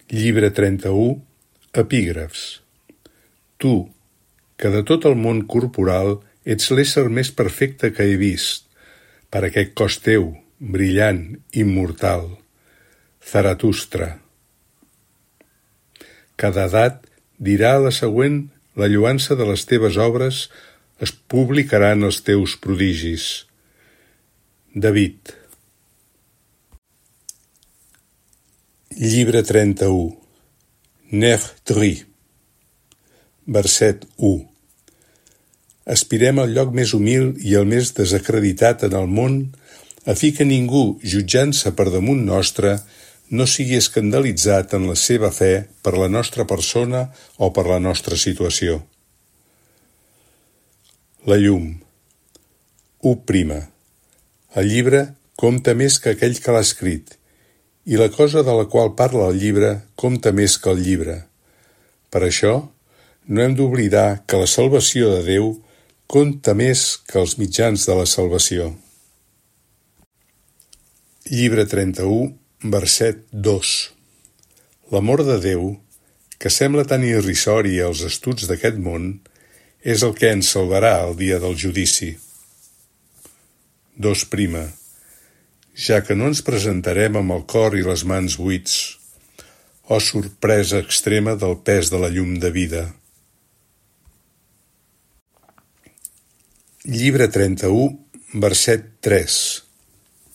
Llibre 31, epígrafs. Tu, que de tot el món corporal ets l'ésser més perfecte que he vist, per aquest cos teu, brillant, immortal, Zaratustra. Cada edat dirà a la següent la lloança de les teves obres, es publicaran els teus prodigis. David. Llibre 31. Nechtri. Verset 1. Aspirem al lloc més humil i el més desacreditat en el món, a fi que ningú, jutjant-se per damunt nostre, no sigui escandalitzat en la seva fe per la nostra persona o per la nostra situació. La llum. 1. El llibre compta més que aquell que l'ha escrit, i la cosa de la qual parla el llibre compta més que el llibre. Per això, no hem d'oblidar que la salvació de Déu compta més que els mitjans de la salvació. Llibre 31, verset 2. L'amor de Déu, que sembla tan irrisori als estuds d'aquest món, és el que ens salvarà el dia del judici. 2. Ja que no ens presentarem amb el cor i les mans buits, sorpresa extrema del pes de la llum de vida. Llibre 31, verset 3.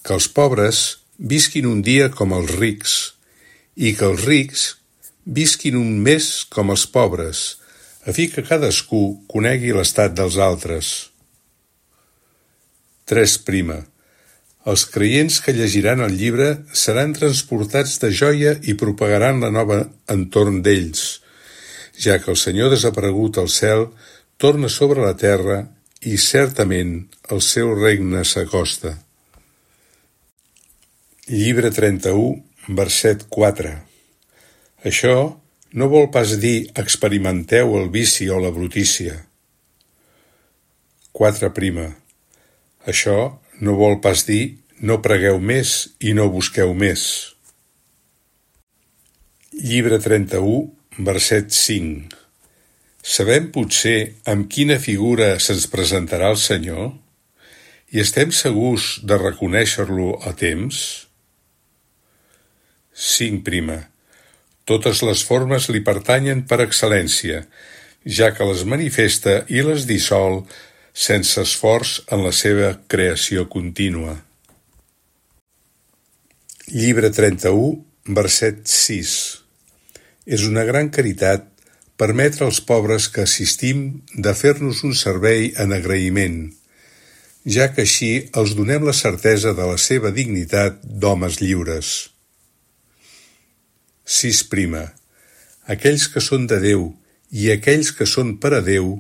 Que els pobres visquin un dia com els rics, i que els rics visquin un mes com els pobres, a fi que cadascú conegui l'estat dels altres. 3. Els creients que llegiran el llibre seran transportats de joia i propagaran la nova entorn d'ells, ja que el Senyor desaparegut al cel torna sobre la terra i certament el seu regne s'acosta. Llibre 31, verset 4. Això no vol pas dir experimenteu el vici o la brutícia. 4. Això no vol pas dir no pregueu més i no busqueu més. Llibre 31, verset 5. Sabem potser amb quina figura se'ns presentarà el Senyor? I estem segurs de reconèixer-lo a temps? 5. Totes les formes li pertanyen per excel·lència, ja que les manifesta i les dissol sense esforç en la seva creació contínua. Llibre 31, verset 6. És una gran caritat permetre als pobres que assistim de fer-nos un servei en agraïment, ja que així els donem la certesa de la seva dignitat d'homes lliures. 6. Aquells que són de Déu i aquells que són per a Déu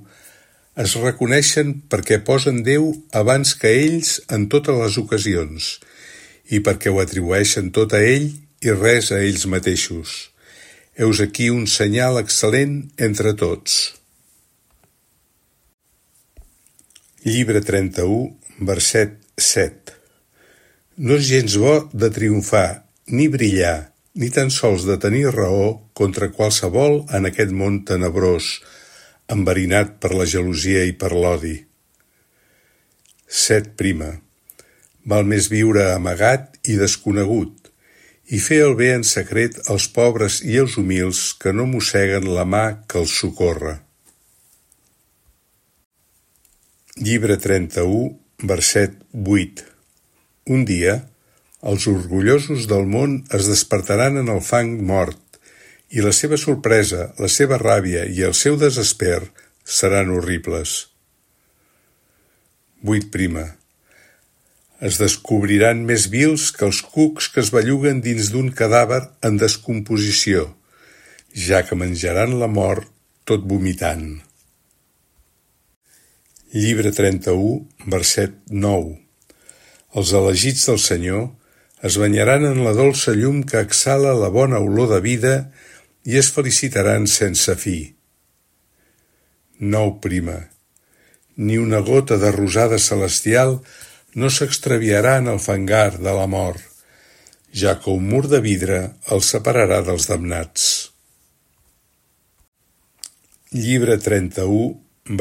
es reconeixen perquè posen Déu abans que ells en totes les ocasions i perquè ho atribueixen tot a ell i res a ells mateixos. Heus aquí un senyal excel·lent entre tots. Llibre 31, verset 7. No és gens bo de triomfar, ni brillar, ni tan sols de tenir raó contra qualsevol en aquest món tenebrós, enverinat per la gelosia i per l'odi. 7. Val més viure amagat i desconegut, i fer el bé en secret als pobres i als humils que no mosseguen la mà que els socorre. Llibre 31, verset 8. Un dia, els orgullosos del món es despertaran en el fang mort, i la seva sorpresa, la seva ràbia i el seu desesper seran horribles. 8. Es descobriran més vils que els cucs que es belluguen dins d'un cadàver en descomposició, ja que menjaran la mort tot vomitant. Llibre 31, verset 9. Els elegits del Senyor es banyaran en la dolça llum que exhala la bona olor de vida i es felicitaran sense fi. 9. Ni una gota de rosada celestial no s'extraviarà en el fangar de la mort, ja que un mur de vidre els separarà dels damnats. Llibre 31,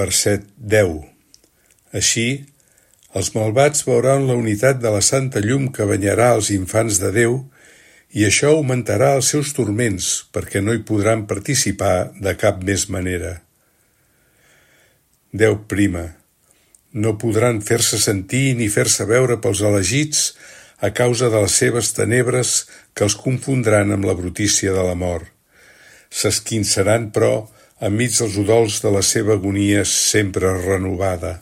verset 10. Així, els malvats veuran la unitat de la santa llum que banyarà els infants de Déu, i això augmentarà els seus turments, perquè no hi podran participar de cap més manera. 10. No podran fer-se sentir ni fer-se veure pels elegits a causa de les seves tenebres que els confondran amb la brutícia de la mort. S'esquinçaran, però, enmig dels udols de la seva agonia sempre renovada.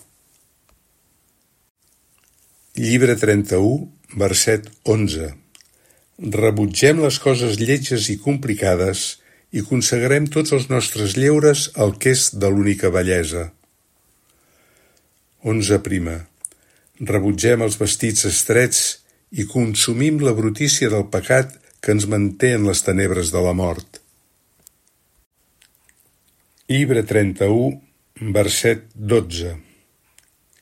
Llibre 31, verset 11. Rebutgem les coses lletges i complicades i consagrem tots els nostres lleures al que és de l'única bellesa. 11. Rebutgem els vestits estrets i consumim la brutícia del pecat que ens manté en les tenebres de la mort. Llibre 31, verset 12.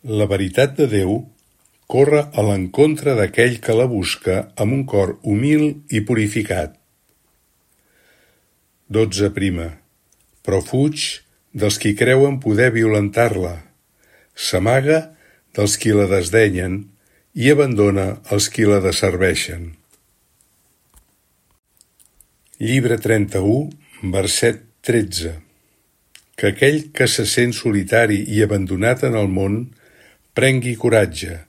La veritat de Déu corre a l'encontre d'aquell que la busca amb un cor humil i purificat. 12. Però fuig dels qui creuen poder violentar-la, s'amaga dels qui la desdenyen i abandona els qui la desserveixen. Llibre 31, verset 13. Que aquell que se sent solitari i abandonat en el món prengui coratge,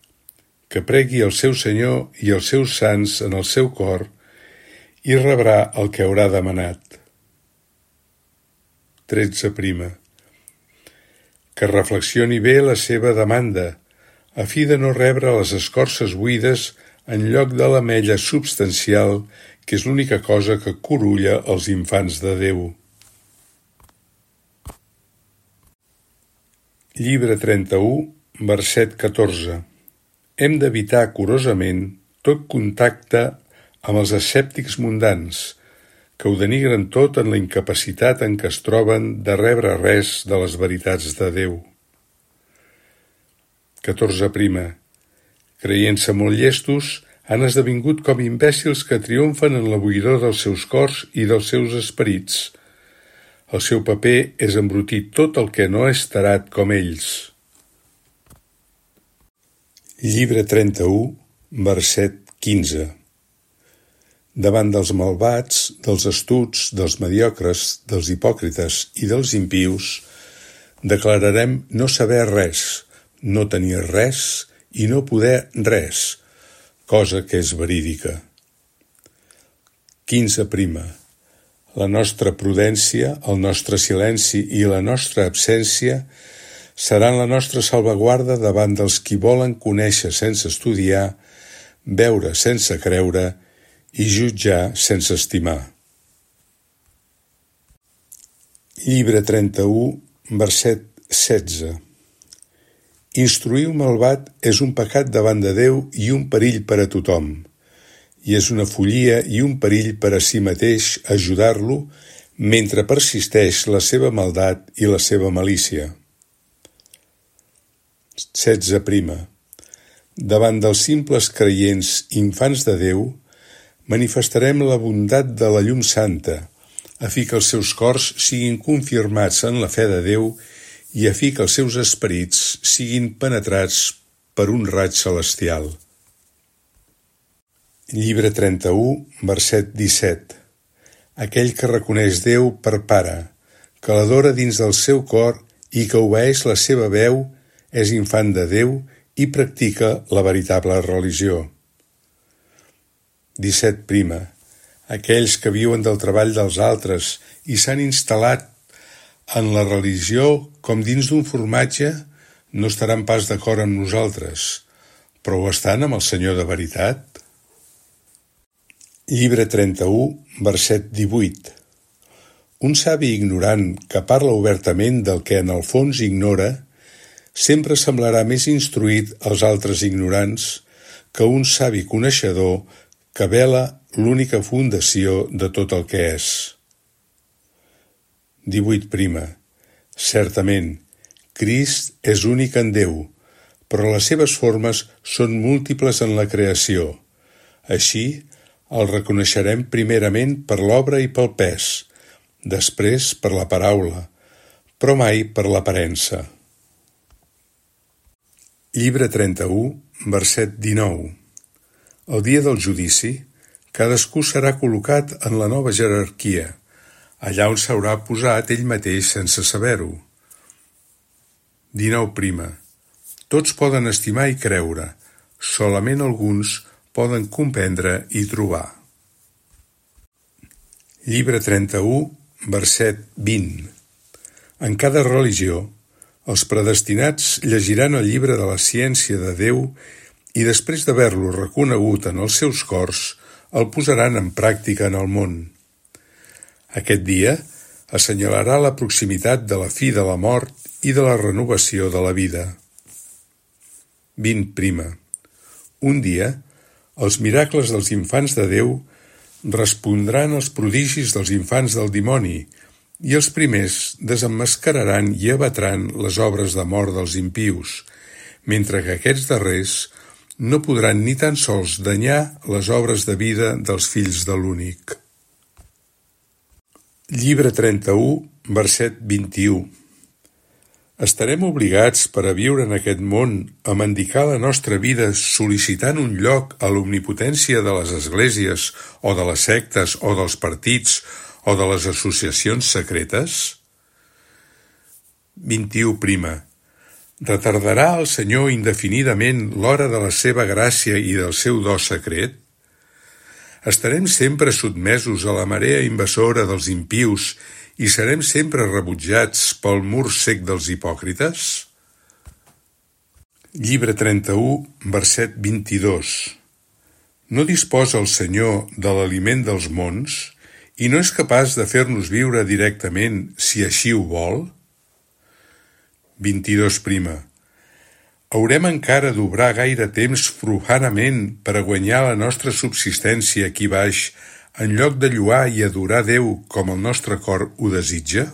que pregui el seu Senyor i els seus sants en el seu cor i rebrà el que haurà demanat. 13. Que reflexioni bé la seva demanda, a fi de no rebre les escorces buides en lloc de l'ametlla substancial, que és l'única cosa que curulla els infants de Déu. Llibre 31, verset 14. Hem d'evitar curosament tot contacte amb els escèptics mundans, que ho denigren tot en la incapacitat en què es troben de rebre res de les veritats de Déu. 14. Creient-se molt llestos, han esdevingut com imbècils que triomfen en la buidor dels seus cors i dels seus esperits. El seu paper és embrutir tot el que no és tarat com ells. Llibre 31, verset 15. Davant dels malvats, dels astuts, dels mediocres, dels hipòcrites i dels impius, declararem no saber res, no tenir res i no poder res, cosa que és verídica. 15. La nostra prudència, el nostre silenci i la nostra absència seran la nostra salvaguarda davant dels qui volen conèixer sense estudiar, veure sense creure i jutjar sense estimar. Llibre 31, verset 16. Instruir un malvat és un pecat davant de Déu i un perill per a tothom, i és una follia i un perill per a si mateix ajudar-lo mentre persisteix la seva maldat i la seva malícia. 16. Davant dels simples creients infants de Déu, manifestarem la bondat de la llum santa, a fi que els seus cors siguin confirmats en la fe de Déu i a fi que els seus esperits siguin penetrats per un raig celestial. Llibre 31, verset 17. Aquell que reconeix Déu per Pare, que l'adora dins del seu cor i que obeeix la seva veu, és infant de Déu i practica la veritable religió. 17. Aquells que viuen del treball dels altres i s'han instal·lat en la religió com dins d'un formatge no estaran pas d'acord amb nosaltres, però ho estan amb el Senyor de veritat? Llibre 31, verset 18. Un savi ignorant que parla obertament del que en el fons ignora sempre semblarà més instruït als altres ignorants que un savi coneixedor que vela l'única fundació de tot el que és. 18. Certament, Crist és únic en Déu, però les seves formes són múltiples en la creació. Així, El reconeixerem primerament per l'obra i pel pes, després per la paraula, però mai per l'aparença. Llibre 31, verset 19. El dia del judici, cadascú serà col·locat en la nova jerarquia, allà on s'haurà posat ell mateix sense saber-ho. 19. Tots poden estimar i creure, solament alguns poden comprendre i trobar. Llibre 31, verset 20. En cada religió, els predestinats llegiran el llibre de la ciència de Déu i després d'haver-lo reconegut en els seus cors, el posaran en pràctica en el món. Aquest dia assenyalarà la proximitat de la fi de la mort i de la renovació de la vida. 20. Un dia, els miracles dels infants de Déu respondran als prodigis dels infants del dimoni i els primers desemmascararan i abatran les obres de mort dels impius, mentre que aquests darrers no podran ni tan sols danyar les obres de vida dels fills de l'únic. Llibre 31, verset 21. Estarem obligats per a viure en aquest món a mendicar la nostra vida sol·licitant un lloc a l'omnipotència de les esglésies o de les sectes o dels partits o de les associacions secretes? 21. Retardarà el Senyor indefinidament l'hora de la seva gràcia i del seu do secret? Estarem sempre sotmesos a la marea invasora dels impius i serem sempre rebutjats pel mur cec dels hipòcrites? Llibre 31, verset 22. No disposa el Senyor de l'aliment dels mons i no és capaç de fer-nos viure directament si així ho vol? 22. Haurem encara d'obrar gaire temps profanament per a guanyar la nostra subsistència aquí baix, en lloc de lloar i adorar Déu com el nostre cor ho desitja?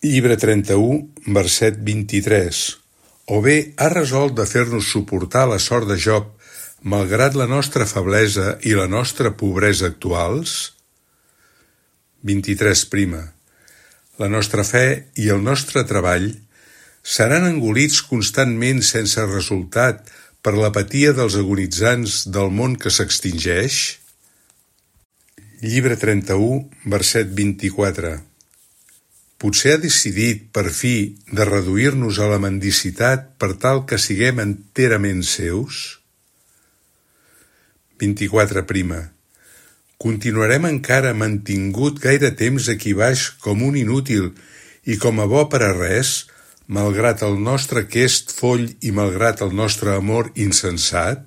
Llibre 31, verset 23. O bé ha resolt de fer-nos suportar la sort de Job, malgrat la nostra feblesa i la nostra pobresa actuals? 23. La nostra fe i el nostre treball seran engolits constantment sense resultat per l'apatia dels agonitzants del món que s'extingeix? Llibre 31, verset 24. Potser ha decidit, per fi, de reduir-nos a la mendicitat per tal que siguem enterament seus? 24. Continuarem encara mantingut gaire temps aquí baix com un inútil i com a bo per a res, malgrat el nostre quest foll i malgrat el nostre amor insensat?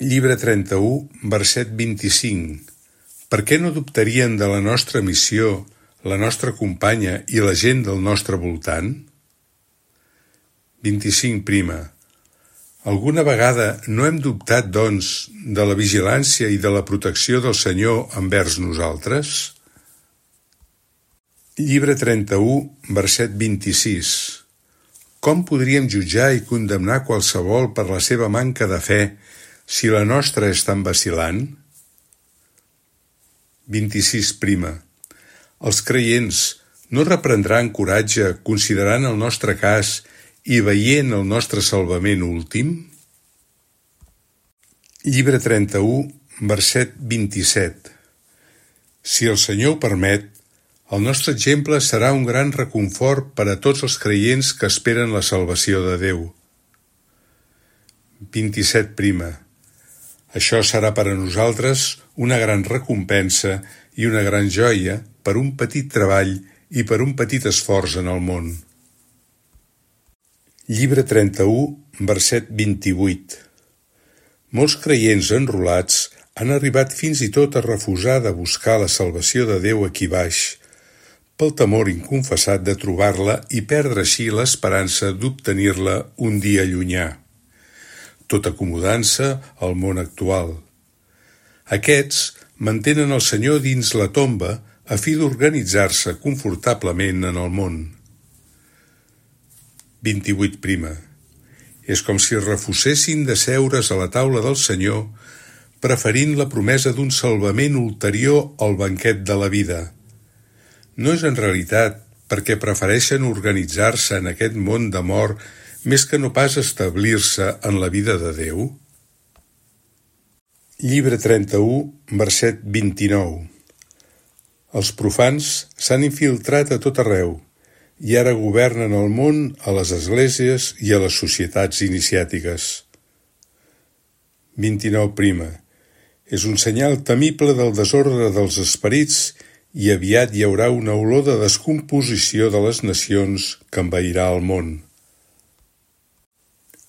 Llibre 31, verset 25. Per què no dubtarien de la nostra missió, la nostra companya i la gent del nostre voltant? 25. Alguna vegada no hem dubtat, doncs, de la vigilància i de la protecció del Senyor envers nosaltres? Llibre 31, verset 26. Com podríem jutjar i condemnar qualsevol per la seva manca de fe si la nostra és tan vacil·lant? 26. Els creients no reprendran coratge considerant el nostre cas i veient el nostre salvament últim? Llibre 31, verset 27. Si el Senyor ho permet, el nostre exemple serà un gran reconfort per a tots els creients que esperen la salvació de Déu. 27. Això serà per a nosaltres una gran recompensa i una gran joia per un petit treball i per un petit esforç en el món. Llibre 31, verset 28. Molts creients enrolats han arribat fins i tot a refusar de buscar la salvació de Déu aquí baix, pel temor inconfessat de trobar-la i perdre així l'esperança d'obtenir-la un dia llunyà, tot acomodant-se al món actual. Aquests mantenen el Senyor dins la tomba a fi d'organitzar-se confortablement en el món. 28. És com si refusessin d'asseure's a la taula del Senyor, preferint la promesa d'un salvament ulterior al banquet de la vida. No és en realitat perquè prefereixen organitzar-se en aquest món de mort més que no pas establir-se en la vida de Déu? Llibre 31, verset 29. Els profans s'han infiltrat a tot arreu i ara governen el món a les esglésies i a les societats iniciàtiques. 29. És un senyal temible del desordre dels esperits i aviat hi haurà una olor de descomposició de les nacions que envairà el món.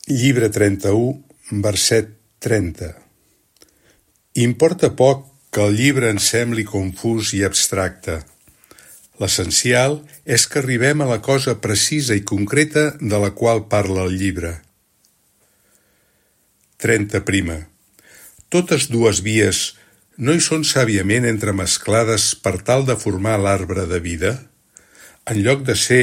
Llibre 31, verset 30. Importa poc que el llibre ens sembli confús i abstracte. L'essencial és que arribem a la cosa precisa i concreta de la qual parla el llibre. 30. Totes dues vies no hi són sàviament entremesclades per tal de formar l'arbre de vida, en lloc de ser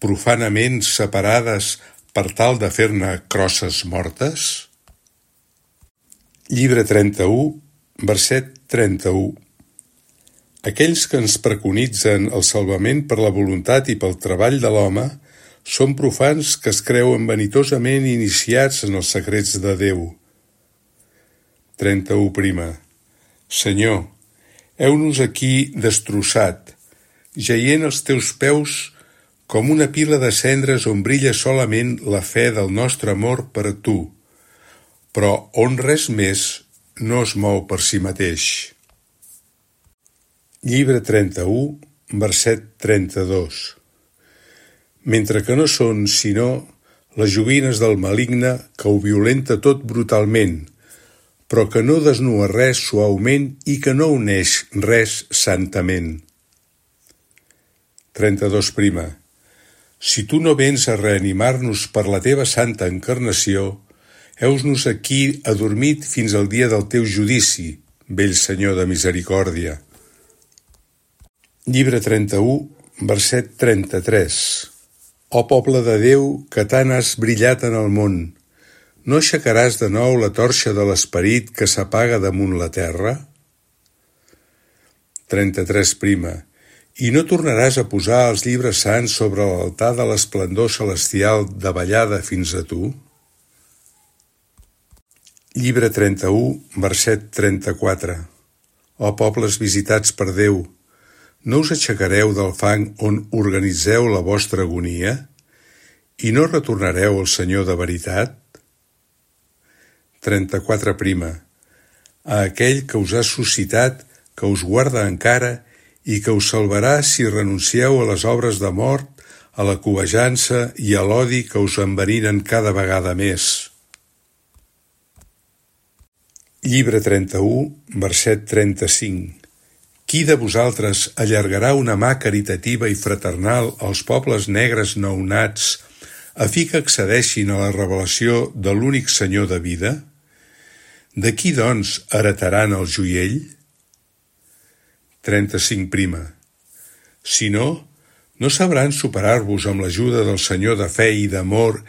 profanament separades per tal de fer-ne crosses mortes? Llibre 31, verset 31. Aquells que ens preconitzen el salvament per la voluntat i pel treball de l'home són profans que es creuen vanitosament iniciats en els secrets de Déu. 31. Senyor, heu-nos aquí destrossat, jaient als teus peus com una pila de cendres on brilla solament la fe del nostre amor per a tu, però on res més no es mou per si mateix. Llibre 31, verset 32. Mentre que no són, sinó, les joguines del maligne que ho violenta tot brutalment, però que no desnua res suaument i que no uneix res santament. 32. Si tu no vens a reanimar-nos per la teva santa encarnació, heus-nos aquí adormit fins al dia del teu judici, vell Senyor de misericòrdia. Llibre 31, verset 33. Ó poble de Déu, que tant has brillat en el món, no aixecaràs de nou la torxa de l'esperit que s'apaga damunt la terra? 33. I no tornaràs a posar els llibres sants sobre l'altar de l'esplendor celestial davallada fins a tu? Llibre 31, verset 34. Ó pobles visitats per Déu, no us aixecareu del fang on organitzeu la vostra agonia? I no retornareu al Senyor de veritat? 34. A aquell que us ha suscitat, que us guarda encara i que us salvarà si renuncieu a les obres de mort, a la cobejança i a l'odi que us enverinen cada vegada més. Llibre 31, verset 35. Qui de vosaltres allargarà una mà caritativa i fraternal als pobles negres nounats a fi que accedeixin a la revelació de l'únic Senyor de vida? De qui, doncs, heretaran el joiell? 35. Si no, no sabran superar-vos amb l'ajuda del Senyor de fe i d'amor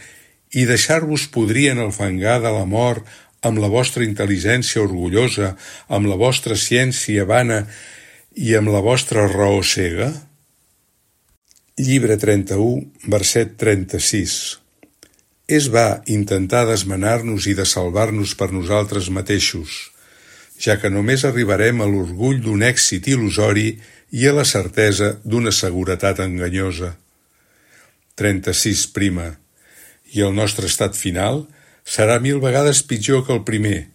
i deixar-vos podrir en el fangar de la mort amb la vostra intel·ligència orgullosa, amb la vostra ciència vana i amb la vostra raó cega? Llibre 31, verset 36. És va intentar d'esmenar-nos i de salvar-nos per nosaltres mateixos, ja que només arribarem a l'orgull d'un èxit il·lusori i a la certesa d'una seguretat enganyosa. 36. I el nostre estat final serà 1000 vegades pitjor que el primer,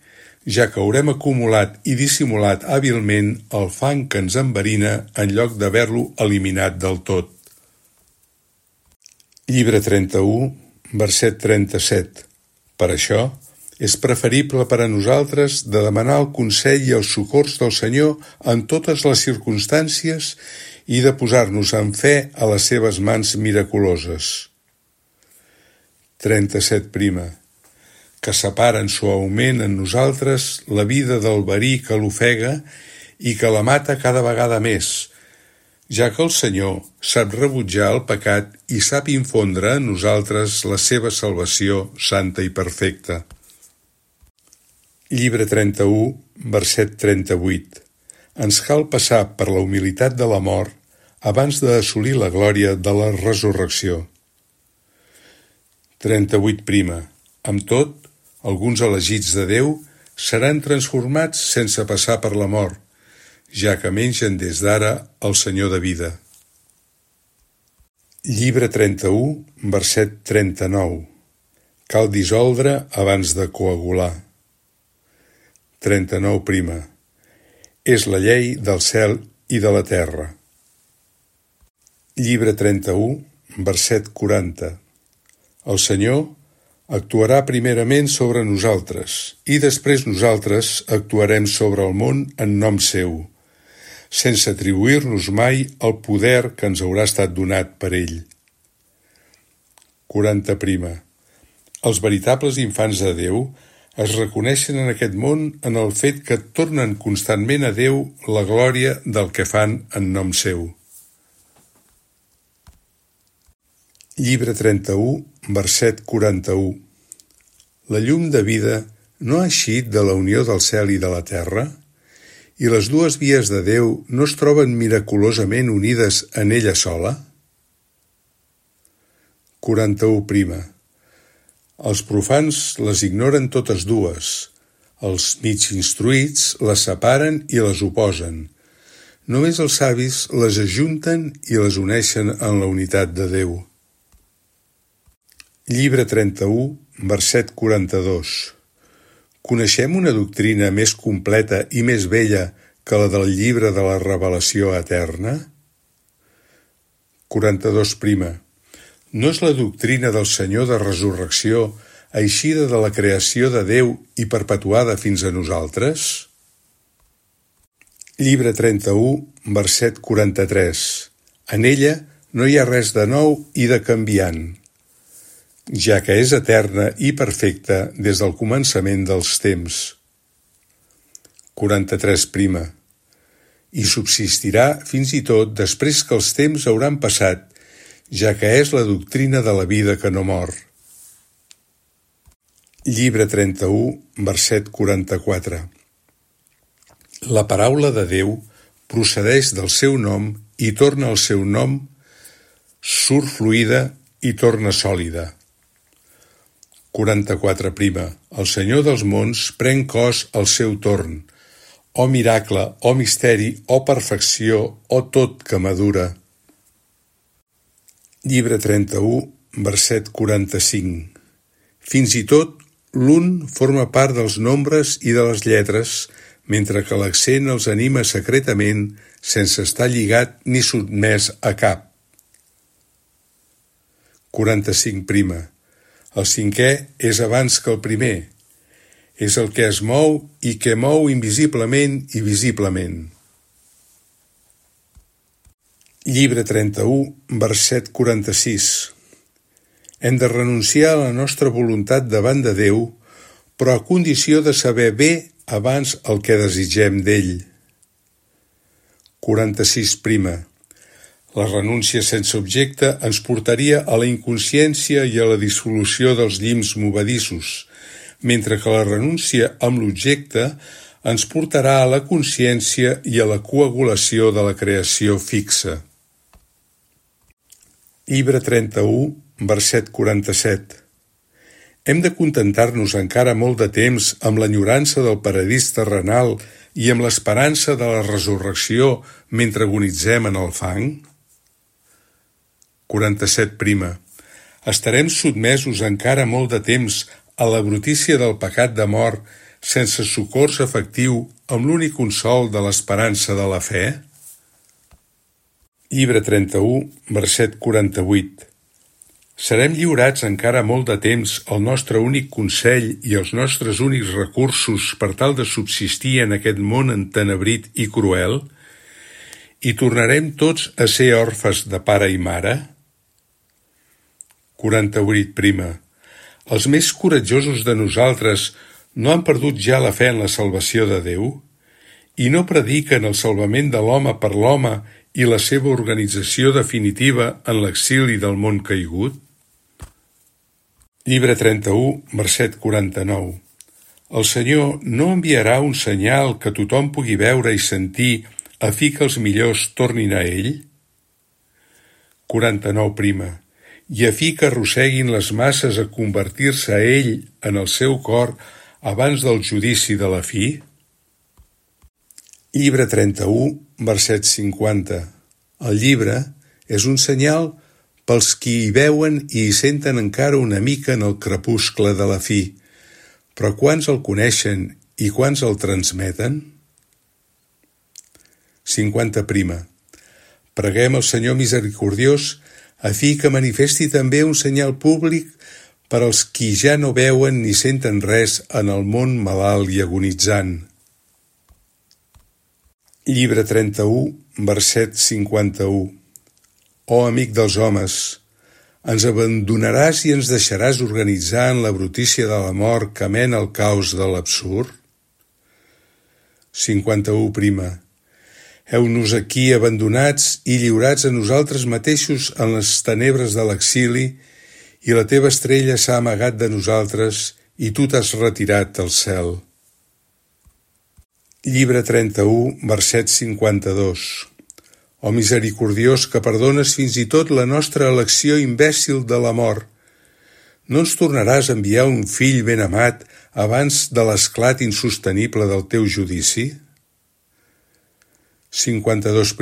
ja que haurem acumulat i dissimulat hàbilment el fang que ens enverina en lloc d'haver-lo eliminat del tot. Llibre 31, verset 37. Per això, és preferible per a nosaltres de demanar el consell i els socors del Senyor en totes les circumstàncies i de posar-nos en fe a les seves mans miraculoses. 37. Que separen suaument en nosaltres la vida del verí que l'ofega i que la mata cada vegada més, ja que el Senyor sap rebutjar el pecat i sap infondre en nosaltres la seva salvació santa i perfecta. Llibre 31, verset 38. Ens cal passar per la humilitat de la mort abans d'assolir la glòria de la resurrecció. 38. Amb tot, alguns elegits de Déu seran transformats sense passar per la mort, ja que mengen des d'ara el Senyor de vida. Llibre 31, verset 39. Cal dissoldre abans de coagular. 39. És la llei del cel i de la terra. Llibre 31, verset 40. El Senyor actuarà primerament sobre nosaltres i després nosaltres actuarem sobre el món en nom seu, sense atribuir-nos mai el poder que ens haurà estat donat per ell. 40. Els veritables infants de Déu es reconeixen en aquest món en el fet que tornen constantment a Déu la glòria del que fan en nom seu. Llibre 31, verset 41. La llum de vida no ha eixit de la unió del cel i de la terra? I les dues vies de Déu no es troben miraculosament unides en ella sola? 41. Els profans les ignoren totes dues. Els mig instruïts les separen i les oposen. Només els savis les ajunten i les uneixen en la unitat de Déu. Llibre 31, verset 42. Coneixem una doctrina més completa i més bella que la del llibre de la revelació eterna? 42. No és la doctrina del Senyor de resurrecció eixida de la creació de Déu i perpetuada fins a nosaltres? Llibre 31, verset 43. En ella no hi ha res de nou i de canviant, ja que és eterna i perfecta des del començament dels temps. 43. I subsistirà fins i tot després que els temps hauran passat, ja que és la doctrina de la vida que no mor. Llibre 31, verset 44. La paraula de Déu procedeix del seu nom i torna al seu nom, surt fluida i torna sòlida. 44. El Senyor dels mons pren cos al seu torn. O miracle, o misteri, o perfecció, o tot que madura. Llibre 31, verset 45. Fins i tot l'un forma part dels nombres i de les lletres, mentre que l'accent els anima secretament sense estar lligat ni sotmès a cap. 45. El cinquè és abans que el primer. És el que es mou i que mou invisiblement i visiblement. Llibre 31, verset 46. Hem de renunciar a la nostra voluntat davant de Déu, però a condició de saber bé abans el que desitgem d'ell. 46. La renúncia sense objecte ens portaria a la inconsciència i a la dissolució dels llims movedissos, mentre que la renúncia amb l'objecte ens portarà a la consciència i a la coagulació de la creació fixa. Llibre 31, verset 47. Hem de contentar-nos encara molt de temps amb l'enyorança del paradís terrenal i amb l'esperança de la resurrecció mentre agonitzem en el fang? 47. Estarem sotmesos encara molt de temps a la brutícia del pecat de mort sense socors efectiu amb l'únic consol de l'esperança de la fe? Llibre 31, verset 48. Serem lliurats encara molt de temps al nostre únic consell i als nostres únics recursos per tal de subsistir en aquest món entenebrit i cruel? I tornarem tots a ser orfes de pare i mare? 48. Els més coratjosos de nosaltres no han perdut ja la fe en la salvació de Déu? I no prediquen el salvament de l'home per l'home i la seva organització definitiva en l'exili del món caigut? Llibre 31, verset 49. El Senyor no enviarà un senyal que tothom pugui veure i sentir a fi que els millors tornin a ell? 49. I a fi que arrosseguin les masses a convertir-se a ell en el seu cor abans del judici de la fi? Llibre 31, verset 50. El llibre és un senyal pels qui hi veuen i hi senten encara una mica en el crepuscle de la fi, però quants el coneixen i quants el transmeten? 50. Preguem al Senyor misericordiós a fi que manifesti també un senyal públic per als qui ja no veuen ni senten res en el món malalt i agonitzant. Llibre 31, verset 51. Oh amic dels homes, ens abandonaràs i ens deixaràs organitzar en la brutícia de la mort que mena al caos de l'absurd? 51. Heu-nos aquí abandonats i lliurats a nosaltres mateixos en les tenebres de l'exili, i la teva estrella s'ha amagat de nosaltres i tu t'has retirat al cel. Llibre 31, verset 52. Oh misericordiós que perdones fins i tot la nostra elecció imbècil de la mort, no ens tornaràs a enviar un fill ben amat abans de l'esclat insostenible del teu judici? 52.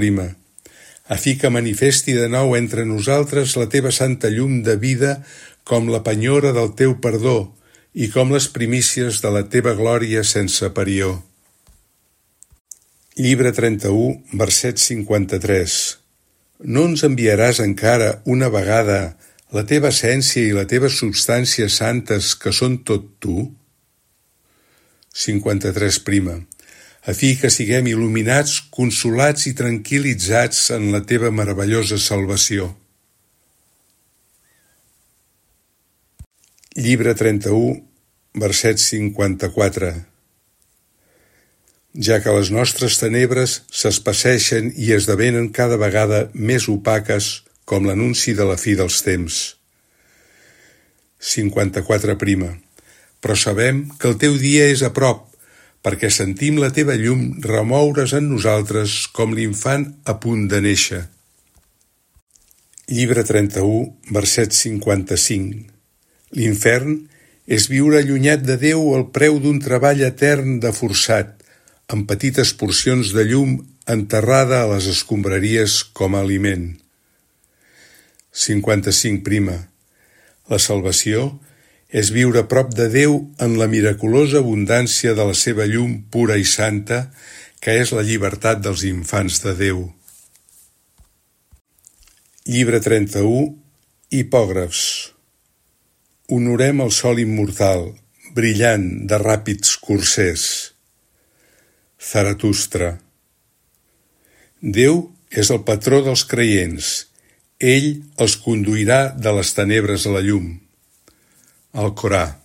A fi que manifesti de nou entre nosaltres la teva santa llum de vida com la penyora del teu perdó i com les primícies de la teva glòria sense parió. Llibre 31, verset 53. No ens enviaràs encara una vegada la teva essència i la teva substància santes que són tot tu? 53. A fi que siguem il·luminats, consolats i tranquil·litzats en la teva meravellosa salvació. Llibre 31, verset 54. Ja que les nostres tenebres s'espesseixen i esdevenen cada vegada més opaques com l'anunci de la fi dels temps. 54. Però sabem que el teu dia és a prop, perquè sentim la teva llum remoure's en nosaltres com l'infant a punt de néixer. Llibre 31, verset 55. L'infern és viure allunyat de Déu al preu d'un treball etern de forçat, amb petites porcions de llum enterrada a les escombraries com a aliment. 55. La salvació és viure a prop de Déu en la miraculosa abundància de la seva llum pura i santa, que és la llibertat dels infants de Déu. Llibre 31, Hipògrafs. Honorem el sol immortal, brillant de ràpids cursers. Zaratustra. Déu és el patró dels creients. Ell els conduirà de les tenebres a la llum. Alcorà.